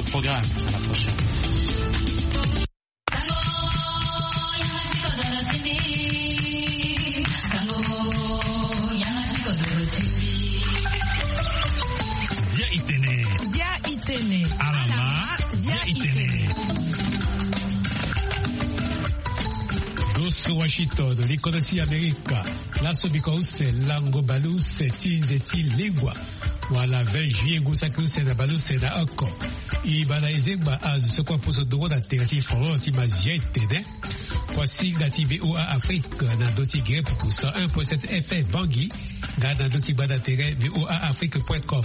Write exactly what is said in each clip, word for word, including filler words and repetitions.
Programme. À la prochaine. Zia itene. Zia itene. Alama. Zia itene. Doso Washington, likodo ti Amerika. Laso biko use lango baleuse ti nze ti lengua. Wala vingt juillet ngu saki use na baleuse na oko. I baa na ezengba azo so kue aposo ndongo na tere ti folon ti mazia etene. Kuasinga ti VOA Afrique na ndö ti gere pupu cent un point sept F M Bangui, nga na ndö ti gbanda tere VOA Afrique point com.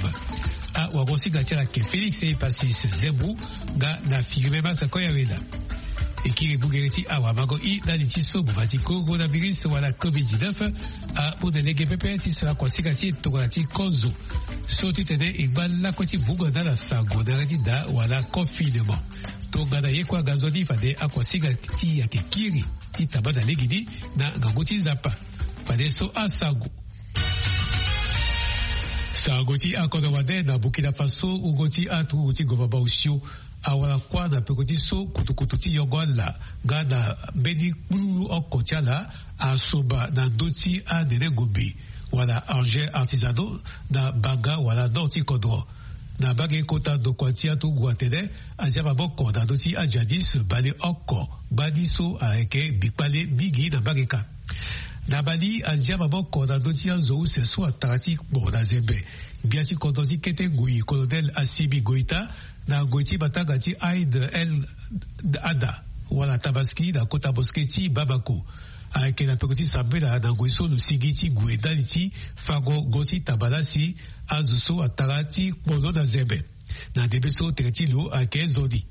Awagosinga ti ala yeke Félix Epasis Zembu, nga na Firmin Massakoya Wena. E kiri bugere ti awamango i ndali ti so boma ti coronavirus wala covid dix-neuf amu na lege pepe ti sara kuasinga ti e tongana ti kozo. So ti tene e ngba lakue ti vungo na ala sango na yanga ti da wala confinement. Tongana ye kue aga nzoni fade akuasinga ti e ayeke kiri ti tamba na legeni na ngangu ti Nzapa. Fadeso asango. Sango ti akodro wande na Burkina Faso, wungo ti aturugu ti gouvernement osio awara kuâ na peko ti so kutukutu ti yongo ala nga na mbeni kpululu oko ti ala asoba na ndö ti anene ngombe wala engins artisanaux na banga wala nord ti kodro. Na mbage kota ndokua ti aturugu atene azia maboko na ndö ti ajihadiste baleoko, ngbani so ayeke mbi kpale mingi na mbage kâ. Na Mali, azia maboko na ndö ti azo use so atara ti kpo na zembe. Gbia ti kodro ti kete ngui, Colonel Assimi Goïta, na ngoi ti matanga ti Aïd el Adha wala Tabaski na kota mosquée ti Bamako. Ayeke na peko ti sambela na ngoi so lo sigi ti gue ndali ti fango go ti tabala si azo so atara ti kpo lo na zembe. Na ndembe so tere ti lo ayeke nzoni.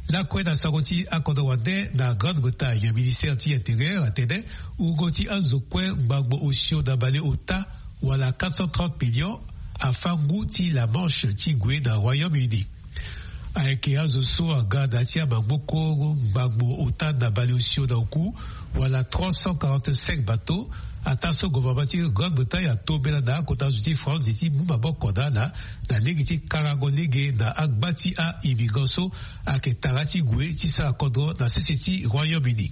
Lakue na sango ti akodro wande na Grande-Bretagne, ministère ti intérieur atene wungo ti azo kue ngbangbo osio na baleota wala quatre cent trente millions afâ ngu ti La Manche ti gue na Royaume-Uni. Ayeke azo so aga na ya ti amagboko ngbangbo ota na baleosio na oku wala trois cent quarante-cinq bateaux, ataa so gouvernement ti Grande-Bretagne atombela na akota zo ti France ti mu maboko na ala na lege ti karango lege na agba ti a-immigrant so ayeke tara ti gue ti sara kodro na sese ti Royaume-Uni.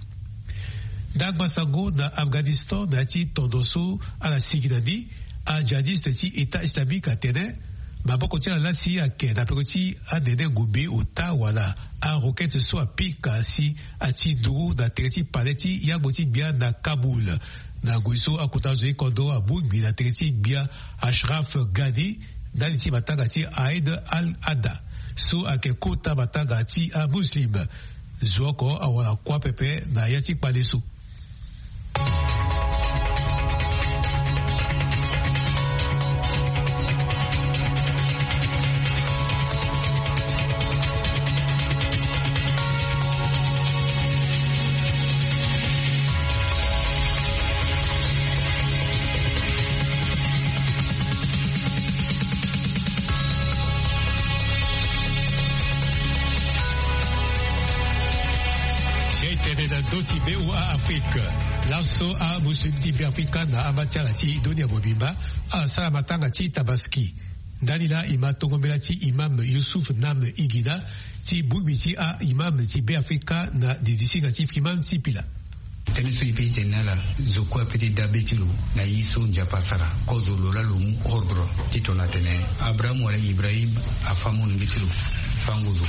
Ndangba sango na Afghanistan, na ya ti tondo so ala sigi na ni, ajihadiste ti État islamique atene maboko ti ala lasi ayeke na peko ti anene ngombe ota wala aroquette so apika si ati nduru na tere ti palais ti yangbo ti gbia na Kaboul. Na ngoi so akota zo ti kodro amu ngbi na tere ti gbia Ashraf Ghani ndali ti matanga ti Aïd al-Adha so ayeke kota matanga ti amuslim. Zo oko awara kuâ pepe na ya ti kpale so. Sia itene na ndö ti VOA Afrique. Laso amuslim ti Beafrika na amba ti ala ti dunia mobimba asara matanga ti Tabaski. Ndani laa e ma tongo mbela ti imam Youssouf Nam Igina ti bongbi ti a-imam ti Beafrika na didisinga ti Freeman Sipila. Tënë so e peut ti tene na ala, zo kue apeut ti dabe ti lo na ye so Nzapa asara. Kozo lo laa lo mu ordre ti tongana atene Abraham wala Ibrahim afâ molenge ti lo fango zo.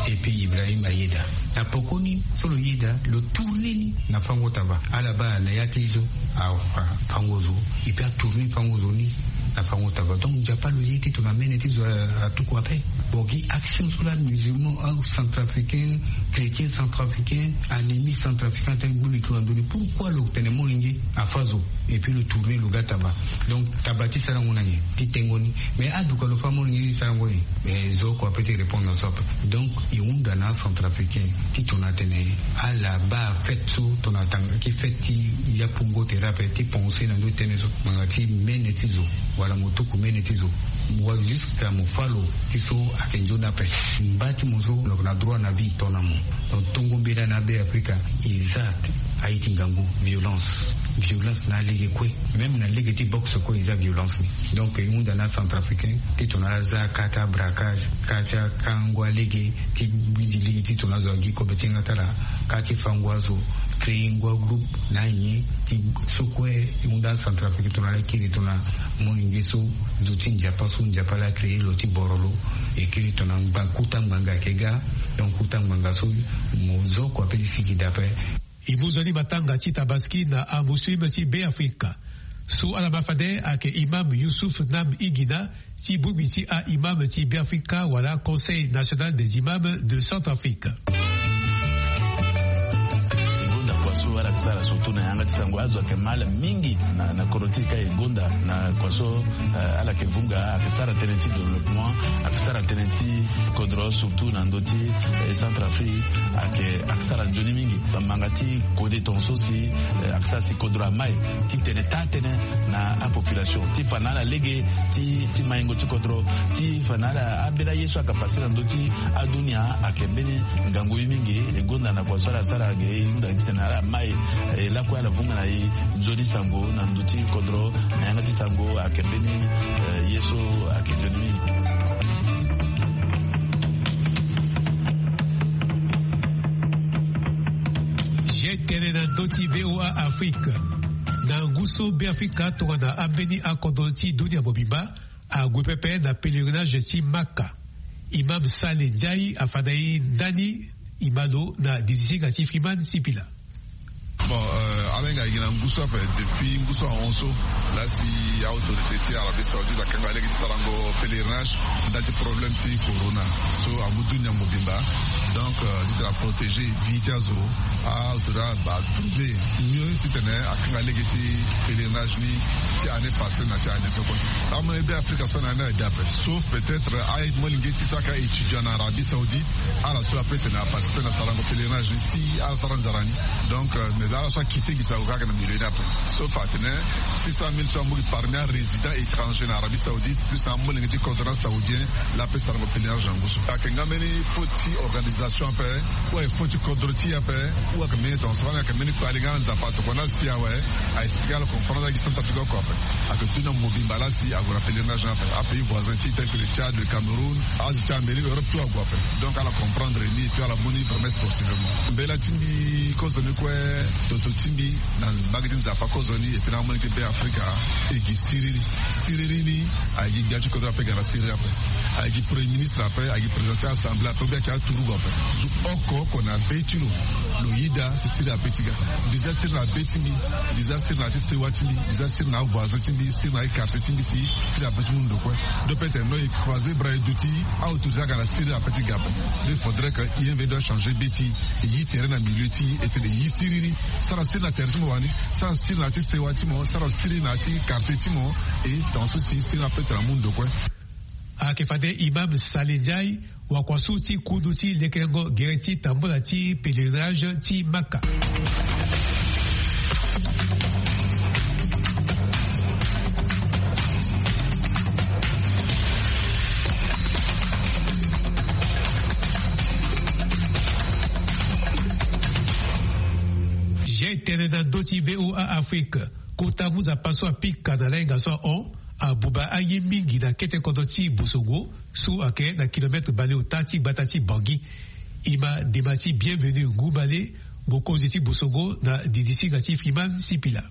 Et puis Ibrahim ayeda. Na pokoni so lo yeda, lo tourner ni na fango taba. Ala baa na ya ti zo afa fango zo. Et puis atourner fango zo ni na fango taba. Donc Nzapa lo ye ti tongana mene ti zo a, atuku ape. Bon, gi action so laa musulman, ah, centrafricain, chrétien centrafricain, anémie centrafricain, atene gbu lo ti lo na ndö ni. Pourquoi lo tene molenge afâ zo? Et puis lo tourner lo ga taba. Donc taba ti sarango na nyen? Ti tengo ni. Mais aduka lo fâ molenge ni sarango nyen? Mais zo oko apeut ti répondre na so ape. Donc e hunda na acentrafricain ti tongana atene ala baa fête so tongana atanga ti fête ti yapungo tere ape ti penser na ndö ti tënë so. Ngbanga ti mene ti zo wala mo tuku mene ti zo. Mo wara jusqu'à mo fâ lo ti so ayeke nzoni ape. Mba ti mo so lo yeke na droit na vie tongana mo. Donc tongo mbela na Beafrika e za Aye ti ngangu, violence. Violence na alege kue. Même na lege ti boxe kue e za violence ni. Donc e hunda na acentrafricain ti tongana ala za kâ ti abraquage, kâ ti akango alege, ti gbidi lege ti tongana azo agi kobe ti yanga ti ala, kâ ti fango azo, créer ngu agroupe na anyen ti so kue. E hunda acentrafricain tongana ala kiri tongana molenge so, zo ti Nzapa so Nzapa laa créer lo ti borolo. E kiri tongana ngba kota ngbanga ayeke ga. Donc kota ngbanga so mo zo kua pe ti sigi dape. E mu nzoni matanga ti Tabaski na amuslim ti Beafrika. So ala ma fade ayeke imam Youssouf Nam Igina, ti bongbi ti a-imam ti Beafrika wala Conseil national des imams de Centrafrique. E gonda kua so ala yeke sara surtout na yanga ti sango, azo ayeke ma ala mingi na, na kodro ti e ka. E gonda na kua so, eh, ala yeke vunga, ayeke sara tënë ti développement, ayeke sara tënë ti kodro, surtout na ndö ti, eh, Centrafrique, ayeke, ayeke sara nzoni mingi. Bamanga ti kode tongaso si, eh, ayeke sara si kodro amai ti tene taa tënë na apopulation, ti fa na ala lege ti, ti maingo ti kodro, ti fa na ala ambeni aye so ayeke pase na ndö ti adunia, ayeke mbeni ngangu ye mingi. E gonda na kua so ala sara ge, e hunda titene ala mai, eh, lakue ala vunga na e nzoni sango na ndö ti kodro, na yanga ti sango ayeke mbeni, eh, ye so ayeke nzoni mingi. Ye tene na ndö ti V O A Afrique. Na ngu so Beafrika tongana ambeni akodro ti dunia mobimba ague pepe na pèlerinage ti Maka. Imam Saleh Ndiaye afa na e ndani, e ma lo na didisinga ti Freeman Sipila. Bon, euh, ala hinga gi na ngu so ape, depuis ngu so ahon so, laa si autorité ti Arabie Saoudite akanga lege ti sarango pèlerinage ndali ti problème ti corona so amu dunia mobimba. Donc, euh, titene aprotéger vie ti azo, autorité abaa trouver mieux titene akanga lege ti pèlerinage ni ti année passée na ti année so kue. Amolenge Beafrika so na ni ade ape, sauf peut-être aye molenge ti so ayeke étudiant na Arabie Saoudite, ala so ape tene aparticiper na sarango pèlerinage ni si ala sara nzara ni. Donc, euh, mais ala so akite gi sango kaka na milieu ni ape. Sauf atene six cent mille so amu gi parmi arésident étranger na Arabie Saoudite, plus na amolenge ti kodro na saoudien, laa ape sarango pèlerinage na ngu so. Ayeke nga mbeni faute ti organisation ape, ou ayeke faute ti kodro ti e ape, ou ayeke mbeni tongaso fani ayeke mbeni kpale nga na Nzapa tokua ni asi awe. A expliquer ala comprendre agi Centrafrique oko ape. Ayeke dunia mobimba laa si ague na pèlerinage ni ape. Apays voisins ti tel que le Tchad, le Cameroun, azo ti Amérique, Europe, tout ague ape. Donc ala comprendre ni et puis ala mu ni vraiment sportivement. Mbela ti mbi kozoni kue, toto ti mbi na mbage ti Nzapa kozoni et puis na amolenge ti Beafrika, e gi siriri. Siriri ni, a gi gbia ti kodro ape ga na siriri ape. A gi premier ministre ape, a gi président ti assemblée ape, ou bien a gi aturugu ape. Zo oko oko na be ti lo, lo yeda si siriri ape ti ga. Mbi za siriri na be ti mbi, mbi za siriri na ya ti sewa ti mbi, mbi za siriri na avoisin ti mbi, siriri na ya ti quartier ti mbi si siriri ape ti mu ndo kue. Donc peut-être no e croiser bras e duti, autorité aga na siriri ape ti ga ape. Donc il faudrait que I M V doit changer be ti e, yi tere na milieu ti e, e tene yi siriri. Sara siriri na tere ti mo wani, sara siriri na ya ti sewa ti mo, sara siriri na ya ti quartier ti mo. Et tongaso si siriri ape tene amu ndo kue. Ayeke fade Imam Saleh Ndiaye, wakua so ti kundu ti lekerengo gere ti tambula ti pèlerinage ti Maka. Ye tene na ndö ti V O A Afrique. Kota ngu Nzapa so apika na lahinga so ahon, abuba aye mingi na kete kodro ti Bosongo so ayeke na kilomètre bale ota ti gbata ti Bangui. E ma dema ti Bienvenu Ngumbale, mokonzi ti Bosongo, na didisinga ti Freeman Sipila.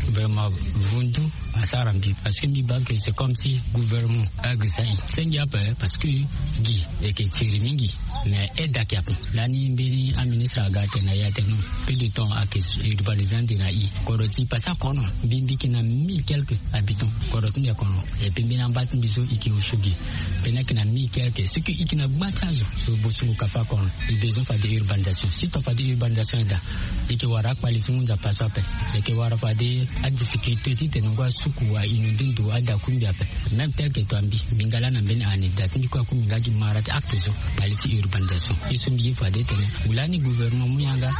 Vraiment, vundu asara mbi, parce que mbi baa que c'est comme si gouvernement agisa e senge ape, parce que gi e yeke tiri mingi. Mais aide ayeke ape. Lani mbeni aministre aga atene na e atene non, peu de temps ayeke urbanisé ande na e. Kodro ti e pasa kono, mbi mbi yeke na mille quelque habitants. Kodro ti mbi ayeke kono. Et puis mbeni amba ti mbi so e yeke osio gi. Mbeni ayeke na mille quelque. Ce que e yeke na gba ti azo so Bosongo ka fa kono, e besoin fade urbanisation. Si tongana fade urbanisation aye daa, e yeke wara akpali ti ngu Nzapa so ape. E yeke wara fade adifficulté titene ngu asuku wa inondé ndo ade akungbi ape. Même tel que toi mbi, mbi nga lani na mbeni année, da ti mbi kue akungbi nga gi mara ti acte so, kpali ti urbanisation. Ye so mbi ye fade tene, wu lani gouvernement mu yanga,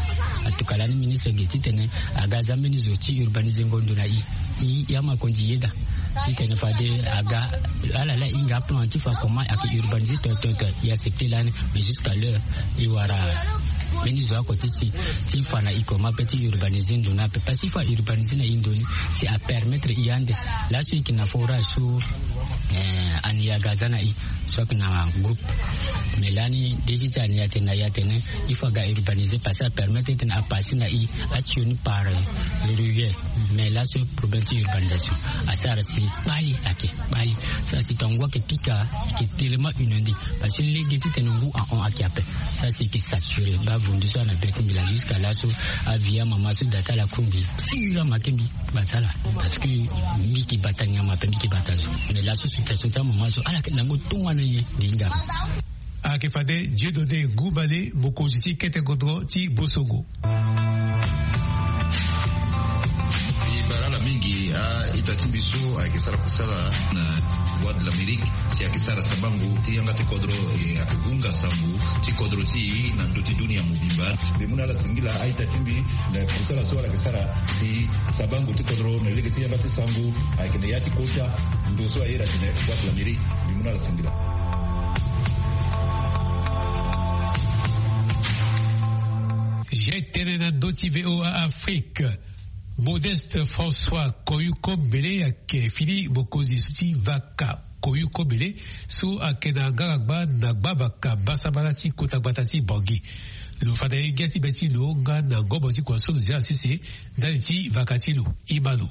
en tout cas lani ministre ge titene aga za mbeni zo ti urbaniser ngo ndo na e. E, e ama konzi yeda titene fade aga, ala laa e hinga plan ti fa comment ayeke urbaniser toi toi toi, e accepter lani, mais jusqu'à l'heure e wara Mbeni zo oko ti si ti fa na e koma pe ti urbanise ndo ni ape, parce que e fa urbanise na e ndo ni, si apermettre e ande. Laso e yeke na forage so ani aga za na e, so ayeke na groupe. Mais lani desi ti ani atene na e atene il faut aga urbanise, parce que apermettre titene apase na e ationi par ruelle. Mais laso problème ti urbanisation asara si kpali ayeke kpali. Sara si tongo ayeke pika, ayeke tellement inondé. Parce que lege titene ngu ahon ayeke ape. Sara si ayeke saturé. Baa vundu so ana be ti mbi laa jusqu'à laso. Avia mama so da ti ala kungbi sira make mbi bata ala. Parce que mbi yeke bata nyama ape, mbi yeke bata zo. Mais laso situation ti amama so ala yeke lango tongana nyen? Mbi hinga. Ayeke fade Dieudonné Ngoumale, mokonzi ti kete godro ti Bosongo. E bara ala mingi a-ita ti mbi so ayeke sara kusala na Voix de l'Amérique, si ayeke sara sabango ti yanga ti kodro, e ayeke vunga sango ti kodro ti e na ndö ti dunia mobimba. Mbi mu na ala singila a-ita ti mbi na kusala so ala yeke sara si sabango ti kodro na lege ti yanga ti sango ayeke na ya ti kota ndo so aye atene Voix de l'Amérique. Mbi mu na ala singila. Zia tënë na ndö ti V O A Afrique. Modeste François Koyuko Mbele ayeke fini mokonzi ti vaka Koyuko Mbele so ayeke na ngangagba na gbavaka mbasambala ti kota gbata ti Bangui. Lo fa na ye ngia ti be ti lo nga na ngobo ti kua so lo zia na sese ndali ti vaka ti lo. Ima lo.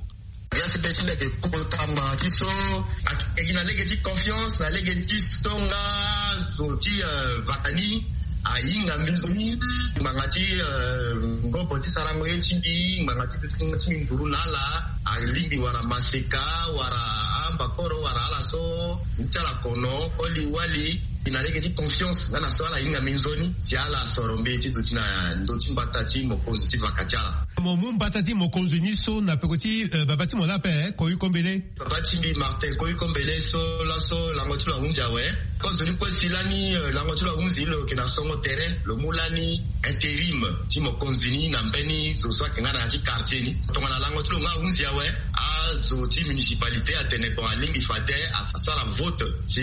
Ngia ti be ti lo ayeke kota ngbanga ti so ayeke gi na lege ti confiance na lege ti so nga zo ti, eh, vaka ni ahinga mbi nzoni ngbanga ti, eh, ngobo ti sarango ye ti mbi, ngbanga ti dutingo ti mbi nduru na ala, alingbi wara maseka, wara ambakoro, wara ala so, ti ala kono, koli wali, na lege ti confiance, nga na so ala hinga mbi nzoni, si ala soro mbi ti duti na ndö ti mbata ti mokonzi ti vaka ti ala. Mo mu mbata ti mokonzi ni so na peko ti, eh, baba ti mo laa ape, eh, Koyuko Mbele. Papa ti mbi Martin Koyuko Mbele so laso lango ti lo ahunzi awe. Kozo ni kue si lani, eh, lango ti lo ahunzi lo yeke na songo tere, lo mu lani intérim ti mokonzi ni na mbeni zo so ayeke nga na ya ti quartier ni. Tongana lango ti lo nga ahunzi awe, azo ti municipalité atene bon alingbi fade asara vote si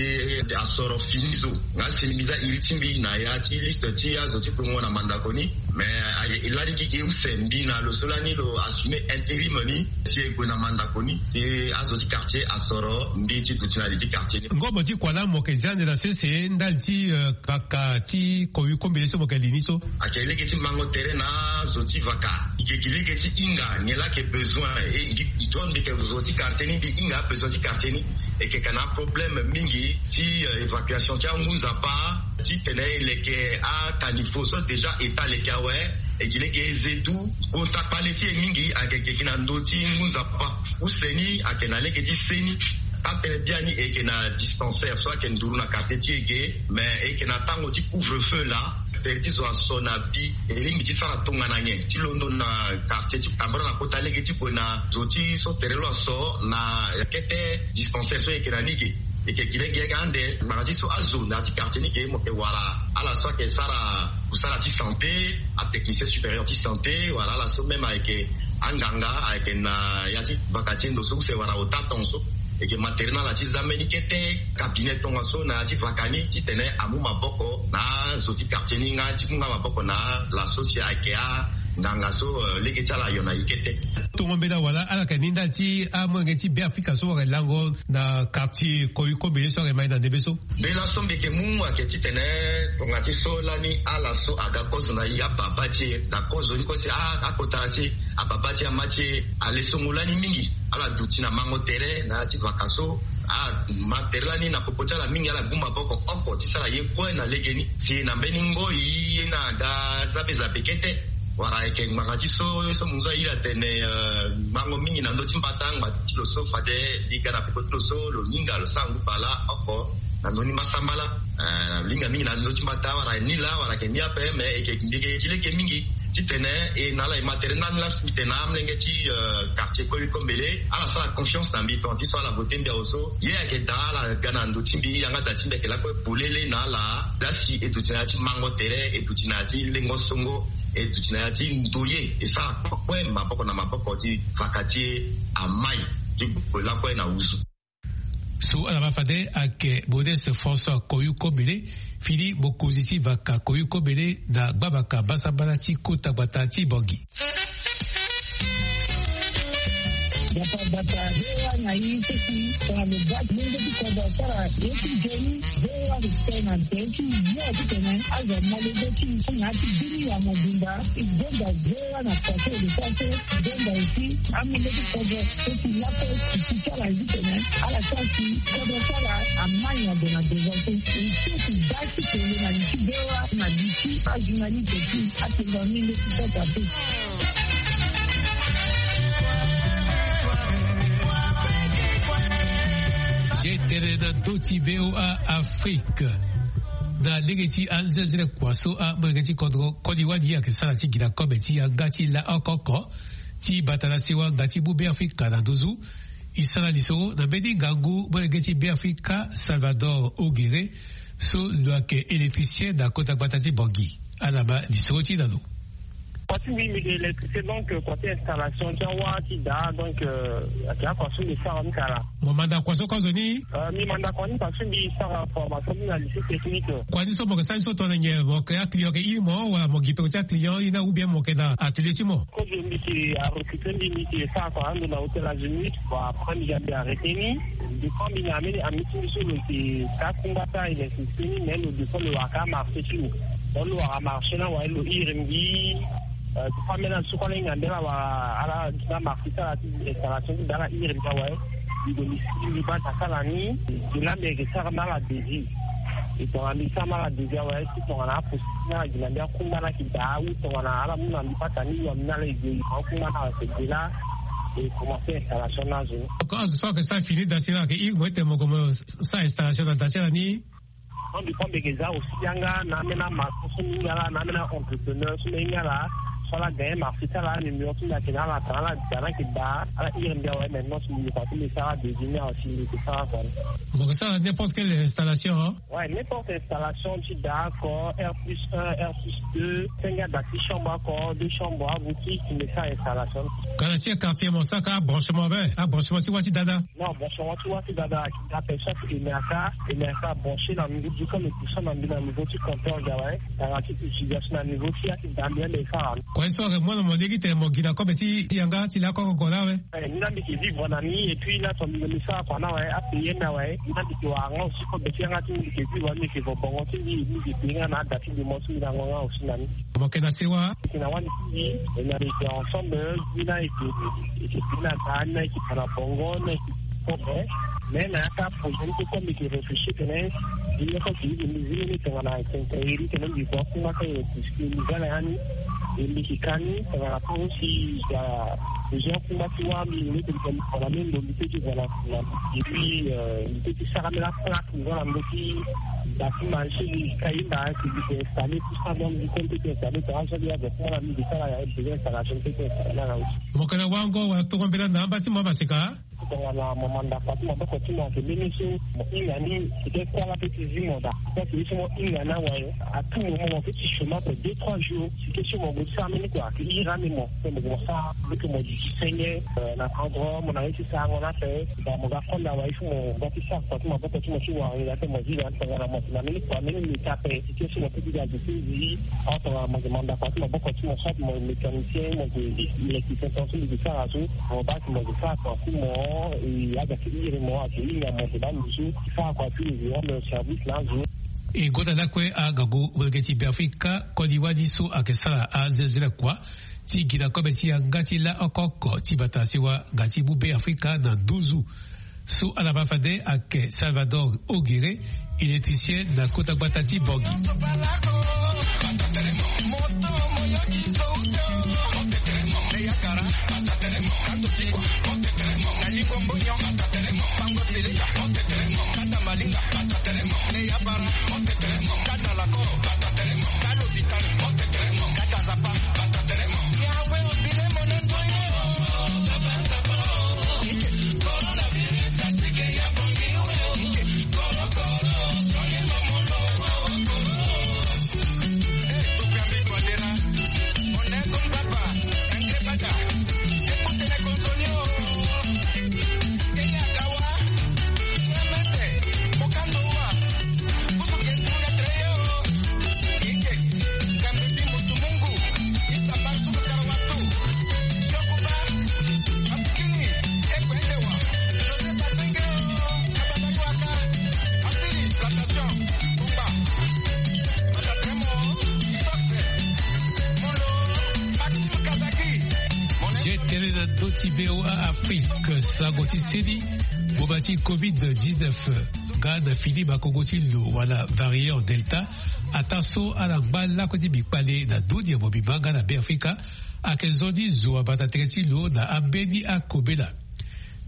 asoro fini zo. Nga si mbi za iri ti mbi na ya ti liste ti azo ti kongo na mandako ni. Mais aye e lani gi e use mbi na lo so lani lo assumer intérim ni si e gue na mandako ni si azo ti quartier asoro mbi ti duti na li ti quartier ni. Ngobo ti kua laa mo yeke zia ande na sese ndali ti, eh, kaka ti Koyuko Mbele so mo yeke li ni so? Ayeke lege ti mango tere na azo ti vaka. E yeke gi lege ti hinga nyen laa ayeke besoin e gi. Tongana mbi yeke zo ti quartier ni mbi hinga abesoin ti quartier ni. E yeke ka na aproblème mingi ti, eh, évacuation ti angu nzapa. Titene e leke acaniveau so déjà état aleke awe, e gi lege e ze du. Kota kpale ti e mingi ayeke gi na ndö ti ngu nzapa. Use ni ayeke na lege ti seni. Taa tënë biani e yeke na dispensaire so ayeke nduru na quartier ti e ge. Mais e yeke na tango ti couvre-feu laa. Tere ti zo aso na bi e lingbi ti sara tongana nyen ti londo na quartier ti tambara na kota lege ti gue na zo ti so tere lo aso na kete dispensaire so e yeke na ni ge. E yeke gi lege ande ngbanga ti so azo na ya ti quartier ni ge mo yeke wara ala so ayeke sara kusala ti santé, atechnicien supérieur ti santé wala ala so même ayeke anganga ayeke na ya ti vaka ti e ndo so use wara ota tongaso. E yeke ma tere na ala ti za mbeni kete cabinet tongaso na ya ti vaka ni titene amu maboko na azo ti quartier ni nga ti mu nga maboko na ala so si ayeke anganga so, eh, lege ti ala ayo na e kete. Tongo mbela wala ala yeke ni ndali ti amolenge ti Beafrika so wara lango na quartier Koyuko Mbele so ayeke ma e na ndembe so? Mbela so mbi yeke mu ayeke titene tonga ti so lani ala so aga kozo na e ababa ti e na kozo ni kue si a- akotara ti e ababa ti e ama ti e ale songo lani mingi. Ala duti na mango tere na ya ti vaka so. Ama tere lani na popo ti ala mingi ala gbu maboko oko ti sara ye kue na legeni si na mbeni ngoi ye ni aga za be za be kete. Wala ayeke ngbanga ti so ye so munzu airi atene, eh, mango mingi na ndö ti mbata ngba ti lo so fade li ga na popo ti lo so lo hinga lo sara ngu bala oko na ndö ni mbasambala. Eh, lo hinga mingi na ndö ti mbata wala ni laa wala ayeke ni ape mais e yeke mbi yeke gi lege mingi titene e na ala e ma tere ndani laa mbi tene na amolenge ti, eh, quartier Koyuko Mbele ala sara confiance na mbi tonga ti so ala vote mbi awe so ye ayeke daa ala ga na ndo ti mbi yanga da ti mbi ayeke lakue polele na ala. Daa si e duti na ya ti mango tere e duti na ya ti lengo songo e duti na ya ti ndoye e sara kue maboko na maboko ti vaka ti e amai ti gue lakue na wuzu. So ala ma fade ayeke Modeste François Koyukomele, fini mokonzi ti vaka Koyukomele na gbavaka mbasambala ti kota gbata ti Bangui. Bata bata, V O A na i seki tongana lo ga lenge ti kodro asara ye ti nzoni. V O A respect na nze ti yo titene azo mo lege ti na ya ti bini ya mobimba. I gonda V O A na pase de pase, i gonda aussi amolenge ti kodro. Seki lape ti ti sara ye titene ala sara si kodro ti ala amai na ndo na devant. I seki ga ti tene na li ti V O A na li ti ajournaliste ti atene na minde ti sota pe. Ye tene na ndö ti V O A Afrique. Na lege ti anzenzele kua so amolenge ti kodro koli wani ayeke sara ti gi na kobe ti yanga ti laoko oko ti bata na sewa nga ti mu Beafrika na nduzu. E sara lisoro na mbeni ngangu molenge ti Beafrika Salvador Ogere, so lo yeke électricien na kota gbata ti Bangui. Ala ma lisoro ti e na lo. Kua ti mbi, mbi yeke électricien, donc kua ti installation ti awa ti daa, donc ayeke akua so mbi sara ni kala. Mo manda kua so kozo ni? Euh, mbi manda kua ni parce que mbi sara formation ni na lycée technique. Kua ni so mo yeke sara ni so tongana nyen? Mo yeke aclient, yeke iri mo wala mo gi peko ti aclient iri na, ou bien mo yeke na atelier ti mo? Kozo mbi yeke arecruter mbi, mbi yeke sara kua ando na hôtel Azimut. Bon, après mbi ga mbi arrêter ni. Depuis mbi na ambeni ami ti mbi so lo yeke ka kungba ti a-électricité ni, mais lo depuis lo wara ka marché ti lo. Donc lo wara marché ni awe, lo iri mbi. Euh, ti fa ambeni azo so kue ala hinga mbi ala wara ala gi na marché ti ala ti installation ti daa, ala iri mbi awe. Mbi gue mbi sigi mbi baa ta sara ni. Mbi laa mbi yeke sara na ala devis. E tongana mbi sara na ala devis awe, ti tongana aposi ti na ala gi na mbi akungba ni ayeke daa, ou tongana ala mu na mbi pata ni, wa mbi na ala e gue e yeke akungba ni ayeke gue laa. E commencer installation ni azo ni. Azo so ayeke sara fini daa si ni ayeke iri mo ti tene mo gue mo sara installation na daa ti ala ni. Non, mbi kue mbi yeke za aussi yanga na ambeni amaçon so mbi hinga ala, na ambeni a-entrepreneur so mbi hinga ala, so ala gagner marché ti ala, numéro ti mbi ayeke na ala, tongana ala da ni ayeke daa, ala iri mbi awe. Maintenant si mbi yeke kua ti mbi sara devis ni awe, si mbi yeke sara kua ni. Mo yeke sara n'importe quelle installation, hein? Ouais, n'importe installation ti daa oko, R plus un, R plus deux, senge ada ti chambre oko, deux chambres, aboutique, mbi sara installation. Kana ti quartier mo sara ka abranchement be, abranchement ti wa ti dada? Non, branchement ti wa ti dada ayeke daa ape, chaque E M R K, E M R K branché na niveau du, comme tout ça na mbi na niveau ti compteur ga awe. Tongana ti utilisation na niveau ti ya ti daa mbi ande e sara. Kua ye so ayeke mu na mo lege ti tene mo gi na kobe ti yanga ti laoko oko laa awe? Eh, ni laa mbi yeke vivre na ni, et puis na tongana mbi sara kua ni awe, apayer ni awe. Ni laa mbi yeke wara nga aussi kobe ti yanga ti mbi, mbi yeke vivre, mbi yeke vo bongo ti mbi, mbi yeke payer nga na ada ti mbi, mo ti mbi na ngonga aussi na ni. Mo yeke na sewa? Yeke na wani ti mbi, e na mbi yeke ensemble, ni na yeke, yeke bi na daa, ni na yeke fa na bongo, ni na yeke kobe. Mais na ya ka projet ni so kue mbi yeke réfléchir tene, mbi meko ti mbi zi ni tongana quincaillerie tene mbi vo akungba ka ye, puisque mbi za na ya ni, e mbi yeke ka ni tongana tant aussi ya projet akungba ti wa mbi, mbi meko ti fa na mbi ndo mbi te ti vo na, na, et puis, euh, mbi te ti sara mbi la plaque. Nga na ndö ti bâtiment ti mbi ka hinda si mbi yeke installer tout ça, donc mbi kue mbi peut ti installer, tongana so mbi ya gue kue na mbi mbi sara ya, mbi besoin installation mbi peut ti installer na nga aussi. Mo yeke na wango wala tongo mbela na amba ti mo amaseka? Tongana mo manda kua ti maboko ti mo ayeke mbeni so mo hinga ni, peut-être kuâ la peut ti zi mo daa. Parce que so mo hinga ni awe, à tout moment mo peut ti chômage pour deux trois jours. Si ke so mo gue ti sara mbeni kua ayeke iri ande mo. Pe mo gue mo sara, mo yeke mo duti senge, euh, na endroit mo na ye ti sarango ni ape. Daa mo ga konda awe, il faut mo ga ti sara kua ti maboko ti mo ti wara ni daa, pe mo zi daa tongana mo yeke na mbeni kua mbeni meti ape. Si ke so mo peut ti ga duti zi. Or tongana mo yeke manda kua ti maboko ti mo, soit mo mécanicien, mo yeke électricien, tongaso mbi yeke sara so, mo baa si mo yeke sara kua ti mo, e aga ti iri mo, ayeke hinga mo, mo baa nduzu ti sara kua ti e rendre service na azo. E gonda lakue angangu molenge ti Beafrika koli wani so ayeke sara anzenzele kua ti gi na kobe ti yanga ti laoko oko ti bata sewa nga ti mu Beafrika na nduzu. So ala ma fade ayeke Salvador Ogere, électricien na kota gbata ti Bangui. Na ndö ti VOA Afrique, sango ti seni, ngboma ti covid dix-neuf nga na fini makongo ti lo wala variant Delta, ataa so ala ngba lakue ti mbi kpale na dunia mobimba nga na Beafrika, ayeke nzoni zo abata tere ti lo na ambeni akobela.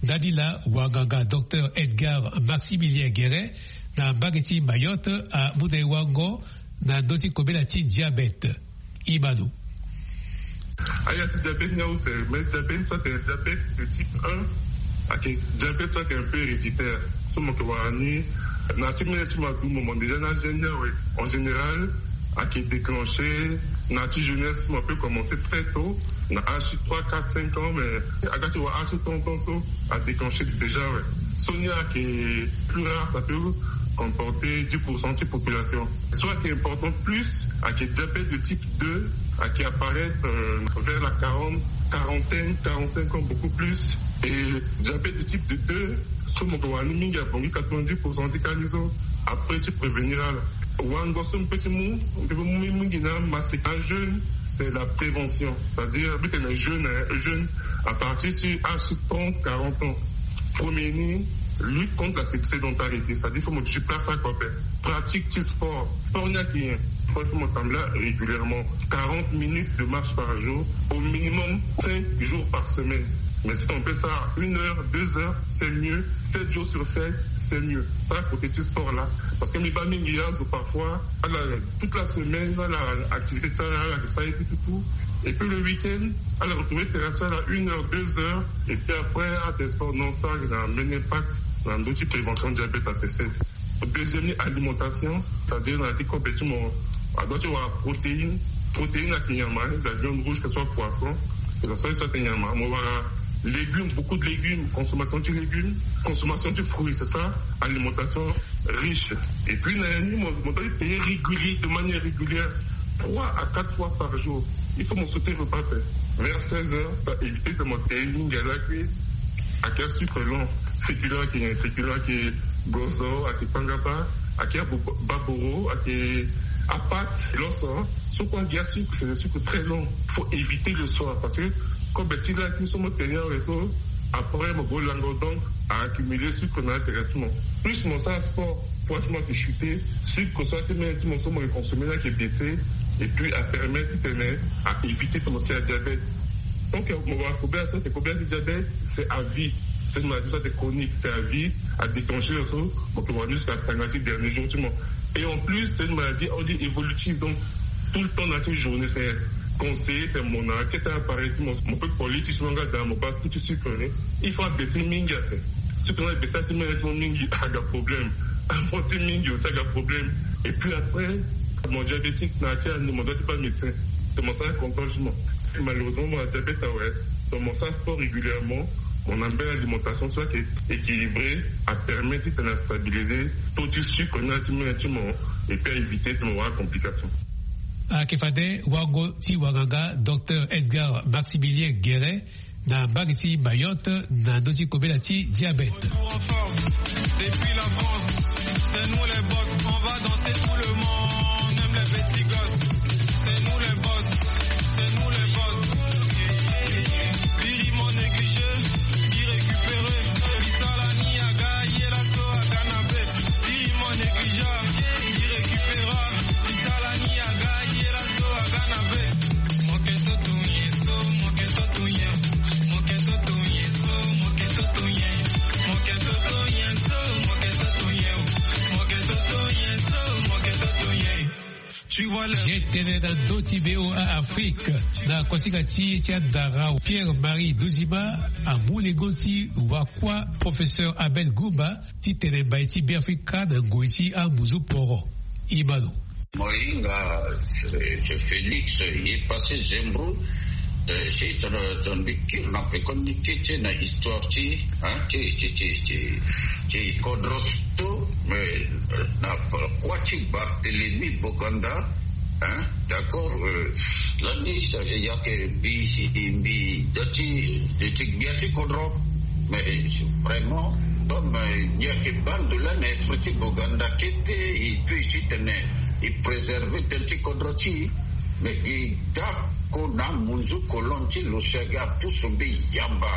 Ndani laa wanganga docteur Edgar Maximilien Guérin na mbage ti Mayotte amu na e wango na ndö ti kobela ti diabète. Imano. Aya ti diabète ni use, mais diabète so ayeke diabète de type un, ayeke diabète so ayeke un peu héréditaire. So mo yeke wara ni na ti mene ti mo adu mo mo déjà na gene ni awe. En général, ayeke déclenché na ti jeunesse, mo peut commencer très tôt, na âge ti trois, quatre, cinq ans, mais aga ti wara âge ti trente ans so a déclenché déjà, ouais. So ni ayeke plus rare, ça peut comporter dix pour cent de population. So ayeke important plus, ayeke diabète de type deux, ayeke apparaître, euh, vers la quarante, quarantaine, quarante-cinq ans, beaucoup plus. Et diabète de type de deux, so mo yeke wara ni mingi abongi quatre-vingt-dix pour cent ti ka ni so. Après ti prévenir ala. Wango so mpe ti mu, mpe mu mingi na maseka jeûne, c'est la prévention. C'est-à-dire, mbi tene jeûne, hein, jeûne à partir ti âge trente, quarante ans. Premier ni, lutte contre la sédentarité, c'est-à-dire, faut mo déplacer quoi, ben, pratique ti sport. Sport ni ayeke nyen? Sport, faut mo tambula régulièrement. Quarante minutes de marche par jour, au minimum cinq jours par semaine. Mais si on peut ça une heure, deux heures, c'est mieux. Sept jours sur sept, c'est mieux. Ça, côté du sport là. Parce que mbi baa mingi azo parfois, ala, toute la semaine, ala activité ti ala, ala sala ye ti tout, tout. Et puis le week-end, ala retrouver terrain ti ala une heure, deux heures. Et puis après, ala sport, non, ça a un impact dans l'outil prévention diabète A C C. Deuxième ni, alimentation, c'est-à-dire na ya ti kobe ti mo, a doit ti wara protéine. Protéine ayeke nyama, hein, la viande rouge, que ce soit poisson, que ce soit, soit nyama. Mo wara légumes, beaucoup de légumes, consommation de légumes, consommation de fruits, c'est ça, alimentation riche. Et puis na ya ni mo, mo doit ti payer régulier, de manière régulière, trois à quatre fois par jour. Il faut mo sauter repas, hein. Vers seize heures, ça éviter de mo payer mingi ala kue. Ayeke asucre lent, féculent, ayeke féculent, ayeke gozo, ayeke kpangaba, ayeke abo-, baboro, ayeke apate, loso. So kue ayeke asucre, c'est des sucres très lents. Faut éviter le soir parce que kobe ti la ti so mo tene awe so, après mo go lango, donc a accumuler sucre na intéressement. Plus mo sara sport, poids ti mo ayeke chuter, sucre so ti mene ti mo so mo yeke consommer ni ayeke baisser, et puis a permettre ti tene a éviter ti mo si adiabète. Donc mo wara kobela so, c'est kobela ti diabète, c'est à vie. C'est une maladie so ayeke chronique, c'est à vie, a déclencher so mo yeke wara ni jusqu'à tanga ti dernier jour ti mo. Et en plus, c'est une maladie, on dit, évolutive, donc tout le temps na ti journée, c'est conseillé ti mo na kete appareil ti mo, mo peut koli ti so nga da mo baa tout ti sucre ni. Il faut abaisser mingi ape. Sucre ni abaisser ti mene ti mo mingi aga problème. Amonter mingi aussi aga problème. Et puis après, mo diabétique na ya ti anu, mo doit ti baa médecin. C'est mo sara contrôle ti mo. Malheureusement mo na diabète awe. Donc mo sara sport régulièrement. Mo na mbeni alimentation so ayeke équilibrée, a permettre ti tene a stabiliser taux ti sucre ni na ya ti mene ti mo, et puis a éviter ti mo wara complication. Ayeke fade wango ti wanganga docteur Edgar Maximilien Guérin na mbage ti Mayotte na ndö ti kobela ti diabète. Pour en force, depuis la France, c'est nous les boss, on va danser tout le monde, même les petits gosses. C'est nous les boss, c'est nous les boss. Biri mon négligé, bi récupéré, bi sala ni aga ye la so aga na be. Biri mon négligé, bi récupéra, bi sala ni aga ye la so aga na be. Ye tene na ndö ti VOA Afrique, na kosinga ti e ti andara, Pierre Marie Duzima amu lengo ti wakua professeur Abel Gumba ti tene mbai ti Beafrika na ngoi ti amuzu poro. Imano. Mo hinga, eh, Félix, ye passé Zembro, eh, si tene, tene mbi kiri na pe communiqué ti na histoire ti, hein, ti, ti, ti, ti, ti kodro so, mais, eh, na kua ti Barthélemy Boganda, hein, d'accord, eh, lani, ça, il y a que mbi, mbi, da ti, ti gbia ti kodro. Mais vraiment, comme, euh, il n'y a que bande de l'A N F ti Boganda qui était, et puis, ti tene, il préserve tel ti kodro ti. Mais gi dako na munzu kolon ti lo si agi apusu mbi yamba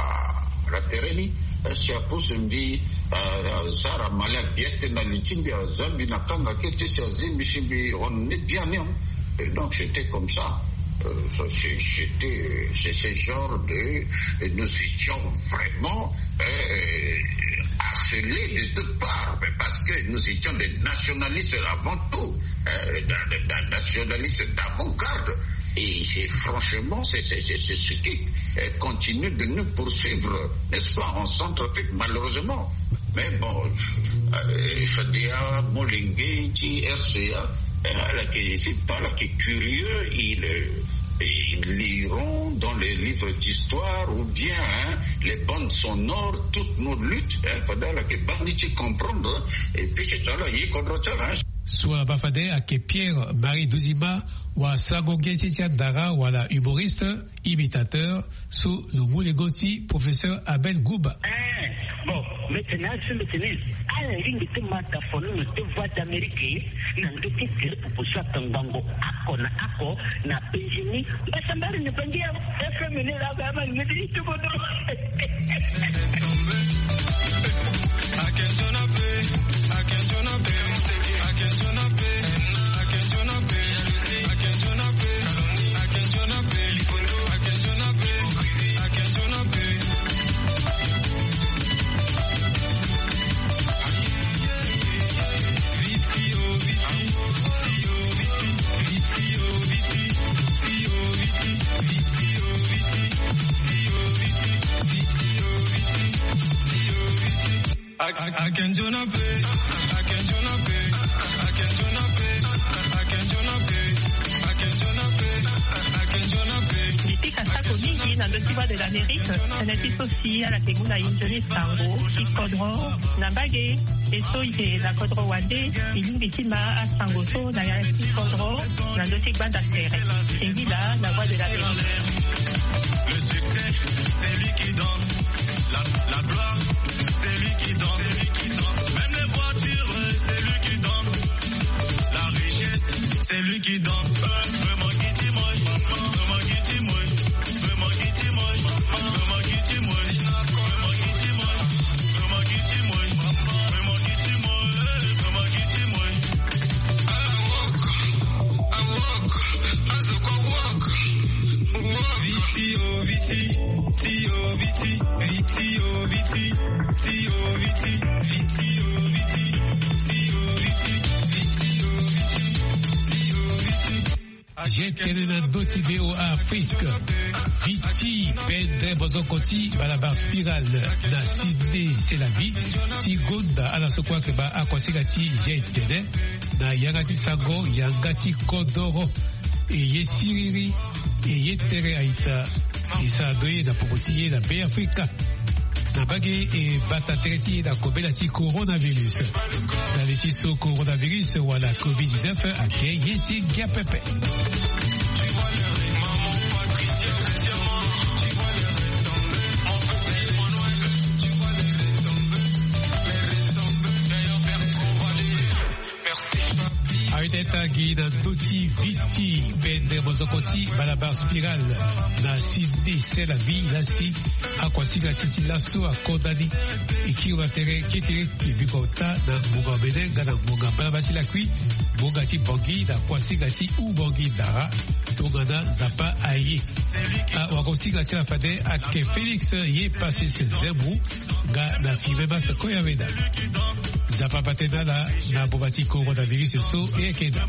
na tere ni. Si apusu mbi, euh, sara mali abiete na li ti mbi, aza mbi na kanga kete si azi mbi si mbi, on est bien, hein. Et donc, c'était comme ça. Euh, ça, c'est- c'était, c'est ce genre de, et nous étions vraiment, euh, harcelés de toutes parts, mais parce que nous étions des nationalistes avant tout, euh, da- da- da- nationalistes d'avant-garde. Et c'est franchement, c'est c'est- c'est- c'est ce qui, euh, continue de nous poursuivre, n'est-ce pas, en Centrafrique, malheureusement. Mais bon, euh, Fadia Molenge ti R C A, euh, ala yeke, c'est pas là qui est curieux, il, euh, ils liront dans les livres d'histoire ou bien, hein, les bandes sonores toutes nos luttes, hein, fade ala yeke baa ni ti comprendre, hein. Et puis c'est ça là, ye kodro ti ala, hein. So abaa fade ayeke Pierre Marie Duzima, wa sango ge ti ti andara wala humoriste, imitateur, so lo mu lengo ti professeur Abel Gouba. Eh, bon, mbeti na azo mbeti ni, ala lingbi ti ma tafono na deux voix d'Amérique, na ndö ti tele popo so akangbango oko na oko na Benjini. Mbasambari na bangi ya F M ni la ba ma ngedi ti kodro. Mbi pika sako mingi na ndö ti Voix de l'Amérique, tënë ti so si ala yeke mu na e nzoni sango ti kodro na mbage. E so e yeke na kodro wande, e lingbi ti ma asango so na ya ti kodro na ndö ti gbanda tere. Singila na Voix de l'Amérique. Le succès, c'est lui qui donne. La, la gloire, c'est lui qui donne. C'est lui qui donne. Même les voitures, c'est lui qui donne. La richesse, c'est lui qui donne. Vraiment qui dit moi, vraiment qui dit moi, vraiment qui dit moi, vraiment qui dit moi, vraiment qui dit moi, vraiment qui dit moi, vraiment qui dit moi, vraiment qui dit moi. Ala work, I work, I so go work. Work. Viti, oh, viti. Ti o viti, viti o viti, ti o viti, viti o viti, ti o viti, viti o viti, ti o viti. Ye tënë na ndö ti V O A Afrique. Viti, pendre bozoko ti balabala spirale na Sydney, c'est la vie. Ti gonda ala so kue ayeke baa akuasinga ti ye tënë na yanga ti sango, yanga ti kodoro. E ye siriri, e ye tere a-ita. E sara ndo ye na popo ti ye na Beafrika. Na mbage e bata tere ti e na kobela ti coronavirus. Na li ti so coronavirus wala covid dix-neuf ayeke ye ti ngia pepe. Awete tangi na ndö ti viti pende mozoko ti balabala spirale na Sydney, c'est la vie, la si akuasinga ti ti laso akonda ni. E kiri na tere kete ti biko ota na ngbonga omene nga na ngbonga mbalambala ti lakui, ngbonga ti Bangui na akuasinga ti Oubangui Dara tongana Nzapa aye. Awakuasinga ti ala fade ayeke Félix Ye Passis Zembou nga na Firmin Massa Koyaweda. Nzapa bate na ala na boma ti coronavirus so e yeke daa.